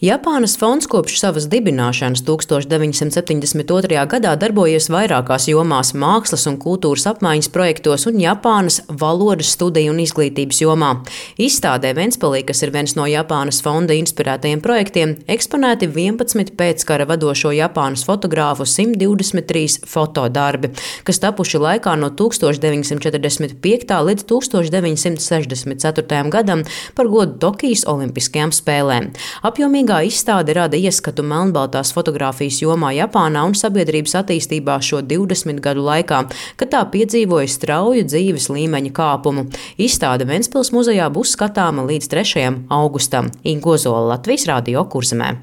Japānas fonds kopš savas dibināšanas 1972. gadā darbojies vairākās jomās – mākslas un kultūras apmaiņas projektos un Japānas valodas studiju un izglītības jomā. Izstādē Ventspilī, kas ir viens no Japānas fonda inspirētajiem projektiem, eksponēti 11 pēckara vadošo Japānas fotogrāfu 123 fotodarbi, kas tapuši laikā no 1945. līdz 1964. gadam par godu Tokijas Olimpiskajām spēlēm. Apjomīgā izstāde rada ieskatu melnbaltās fotogrāfijas jomā Japānā un sabiedrības attīstībā šo 20 gadu laikā, kad tā piedzīvoja strauju dzīves līmeņa kāpumu. Izstāde Ventspils muzejā būs skatāma līdz 3. augustam. Inga Ozola, Latvijas Radio Kurzemē.